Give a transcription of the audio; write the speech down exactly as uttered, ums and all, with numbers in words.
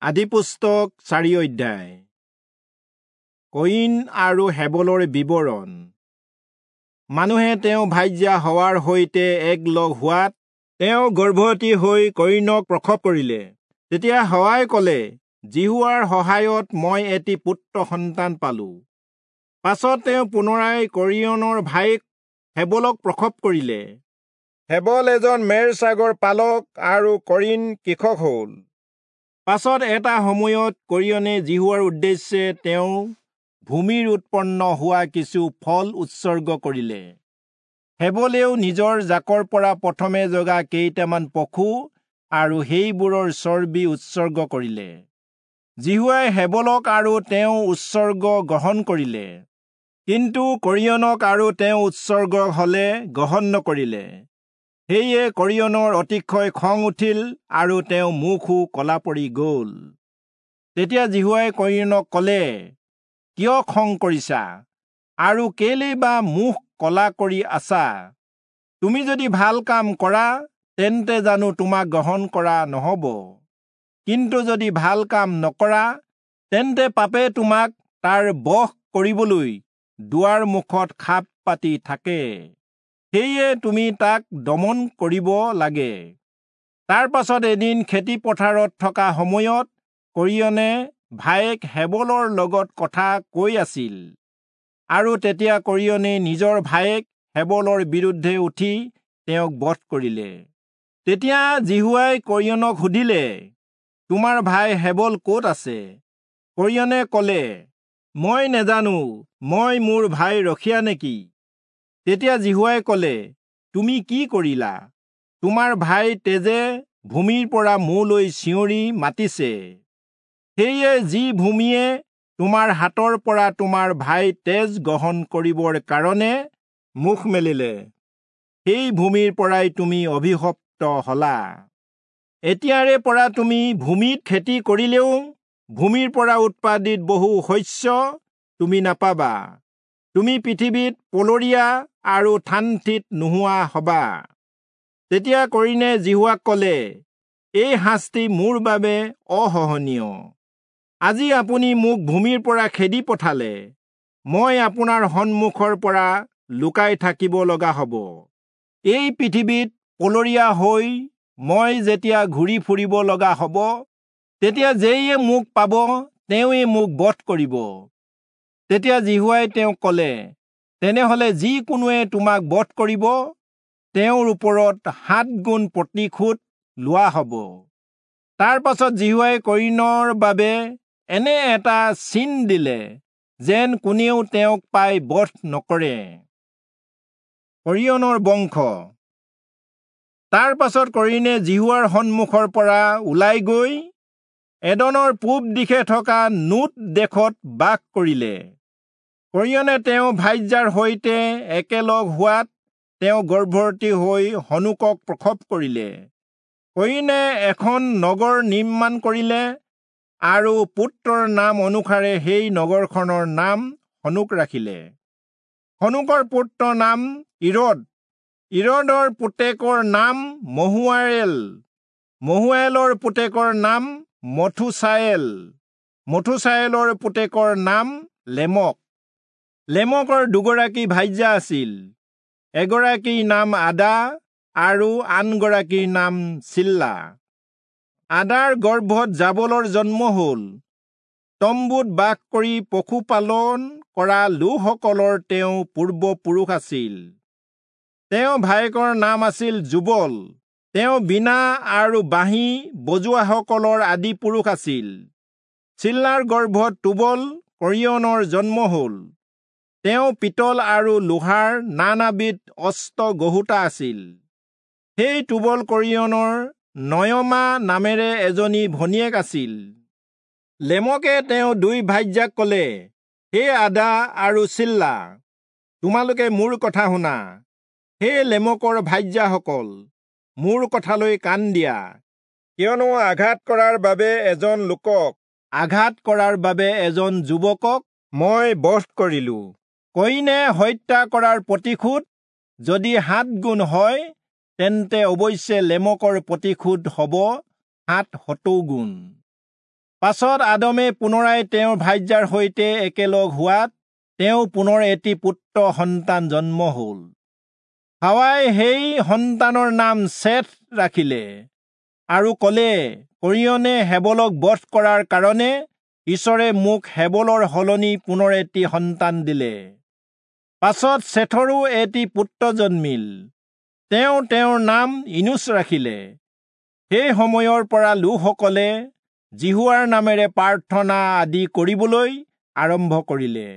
আদিপুস্তক চাৰি অধ্যায়। কয়িন আৰু হেবলৰ বিৱৰণ। মানুহে তেওঁ ভাৰ্যা হৱাৰ সৈতে একলগ হোৱাত তেওঁ গৰ্ভৱতী হৈ কয়িনক প্ৰসৱ কৰিলে। তেতিয়া হৱাই কলে, যিহোৱাৰ সহায়ত মই এটি পুত্ৰ সন্তান পালো। পাছত তেওঁ পুনৰাই কৰিয়নৰ ভায়েক হেবলক প্ৰসৱ কৰিলে। হেবল এজন মেৰ ছাগৰ পালক আৰু কৰিণ কৃষক হ'ল। পাছত এটা সময়ত কৰিয়নে যিহোৱাৰ উদ্দেশ্যে তেওঁ ভূমিৰ উৎপন্ন হোৱা কিছু ফল উৎসৰ্গ কৰিলে। হেবলেও নিজৰ জাকৰ পৰা প্ৰথমে জগা কেইটামান পশু আৰু সেইবোৰৰ চৰ্বি উৎসৰ্গ কৰিলে। যিহোৱাই হেবলক আৰু তেওঁ উৎসৰ্গ গ্ৰহণ কৰিলে, কিন্তু কৰিয়নক আৰু তেওঁ উৎসৰ্গ হলে গ্ৰহণ নকৰিলে। সেয়ে কৰিয়নৰ অতিশয় খং উঠিল আৰু তেওঁ মুখো কলা পৰি গ'ল। তেতিয়া যিহোৱাই কৰিয়নক ক'লে, কিয় খং কৰিছা আৰু কেলেই বা মুখ কলা কৰি আছা? তুমি যদি ভাল কাম কৰা, তেন্তে জানো তোমাক গ্ৰহণ কৰা নহ'ব? কিন্তু যদি ভাল কাম নকৰা, তেন্তে পাপে তোমাক তাৰ বশ কৰিবলৈ দুৱাৰ মুখত খাপ পাতি থাকে, সেয়ে তুমি তাক দমন কৰিব লাগে। তাৰ পাছত এদিন খেতি পথাৰত থকা সময়ত কৰিয়নে ভায়েক হেবলৰ লগত কথা কৈ আছিল, আৰু তেতিয়া কৰিয়নে নিজৰ ভায়েক হেবলৰ বিৰুদ্ধে উঠি তেওঁক বধ কৰিলে। তেতিয়া যিহোৱাই কৰিয়নক সুধিলে, তোমাৰ ভাই হেবল ক'ত আছে? কৰিয়নে ক'লে, মই নেজানো, মই মোৰ ভাই ৰখীয়া নেকি? তেতিয়া যিহোৱাই ক'লে, তুমি কি কৰিলা? তোমাৰ ভাই তেজে ভূমিৰ পৰা মোলৈ চিঞৰি মাতিছে। সেয়ে যি ভূমিয়ে তোমাৰ হাতৰ পৰা তোমাৰ ভাই তেজ গ্ৰহণ কৰিবৰ কাৰণে মুখ মেলিলে, সেই ভূমিৰ পৰাই তুমি অভিশপ্ত হলা। এতিয়াৰে পৰা তুমি ভূমিত খেতি কৰিলেও ভূমিৰ পৰা উৎপাদিত বহু শস্য তুমি নাপাবা। তুমি পৃথিৱীত পলৰীয়া আৰু থানথিত নোহোৱা হবা। তেতিয়া কৰিণে যিহোৱাক ক'লে, এই শাস্তি মোৰ বাবে অসহনীয়। আজি আপুনি মোক ভূমিৰ পৰা খেদি পঠালে, মই আপোনাৰ সন্মুখৰ পৰা লুকাই থাকিব লগা হ'ব। এই পৃথিৱীত পলৰীয়া হৈ মই যেতিয়া ঘূৰি ফুৰিব লগা হ'ব, তেতিয়া যেয়ে মোক পাব তেওঁৱেই মোক বধ কৰিব। তেতিয়া যিহোৱাই তেওঁক ক'লে, তেনেহলে যি কোনোৱে তোমাক বধ কৰিব, তেওঁৰ ওপৰত সাত গুণ প্ৰতিশোধ লোৱা হ'ব। তাৰ পাছত যিহোৱাই কৰিণৰ বাবে এনে এটা চিন দিলে, যেন কোনেও তেওঁক পাই বধ নকৰে। কৰিয়নৰ বংশ। তাৰ পাছত কৰিণে যিহোৱাৰ সন্মুখৰ পৰা ওলাই গৈ এদনৰ পূব দিশে থকা নোট দেশত বাস কৰিলে। কৰিয়নে তেওঁ ভাৰ্যাৰ সৈতে একেলগ হোৱাত তেওঁ গৰ্ভৱতী হৈ হনোকক প্ৰসৱ কৰিলে। কৰিণে এখন নগৰ নিৰ্মাণ কৰিলে আৰু পুত্ৰৰ নাম অনুসাৰে সেই নগৰখনৰ নাম হনোক ৰাখিলে। হনোকৰ পুত্ৰৰ নাম ইৰদ, ইৰদৰ পুতেকৰ নাম মহূয়ায়েল, মহূয়ায়েলৰ পুতেকৰ নাম মথুচায়েল, মথুচায়েলৰ পুতেকৰ নাম লেমক। লেমকৰ দুগৰাকী ভাৰ্যা আছিল, এগৰাকীৰ নাম আদা আৰু আনগৰাকীৰ নাম চিল্লা। আদাৰ গৰ্ভত জাবলৰ জন্ম হ'ল। তম্বুত বাস কৰি পশুপালন কৰা লোকসকলৰ তেওঁ পূৰ্বপুৰুষ আছিল। তেওঁ ভায়েকৰ নাম আছিল যুবল। তেওঁ বীণা আৰু বাঁহী বজোৱাসকলৰ আদি পুৰুষ আছিল। চিল্লাৰ গৰ্ভত তুবল কৰিয়নৰ জন্ম হ'ল। তেওঁ পিতল আৰু লোহাৰ নানাবিধ অস্ত্ৰ গঢ়োতা আছিল। সেই তুবল কৰিয়নৰ নয়মা নামেৰে এজনী ভনীয়েক আছিল। লেমকে তেওঁ দুই ভাৰ্যাক ক'লে, হে আদা আৰু চিল্লা, তোমালোকে মোৰ কথা শুনা। হে লেমকৰ ভাৰ্যাসকল, মোৰ কথালৈ কাণ দিয়া। কিয়নো আঘাত কৰাৰ বাবে এজন লোকক, আঘাত কৰাৰ বাবে এজন যুৱকক মই বধ কৰিলো। কয়িনে হত্যা কৰাৰ প্ৰতিশোধ যদি সাত গুণ হয়, তেন্তে অৱশ্যে লেমকৰ প্ৰতিশোধ হ'ব সাত শতগুণ। পাছত আদমে পুনৰাই তেওঁৰ ভাৰ্যাৰ সৈতে একেলগ হোৱাত তেওঁ পুনৰ এটি পুত্ৰ সন্তান জন্ম হল। হাৱাই সেই সন্তানৰ নাম চেথ ৰাখিলে আৰু কলে, কৰিয়নে হেবলক বধ কৰাৰ কাৰণে ঈশ্বৰে মোক হেবলৰ সলনি পুনৰ এটি সন্তান দিলে। পাছত চেথৰো এটি পুত্ৰ জন্মিল, তেওঁ তেওঁৰ নাম ইনোচ ৰাখিলে। সেই সময়ৰ পৰা লোকসকলে যিহোৱাৰ নামেৰে প্ৰাৰ্থনা আদি কৰিবলৈ আৰম্ভ কৰিলে।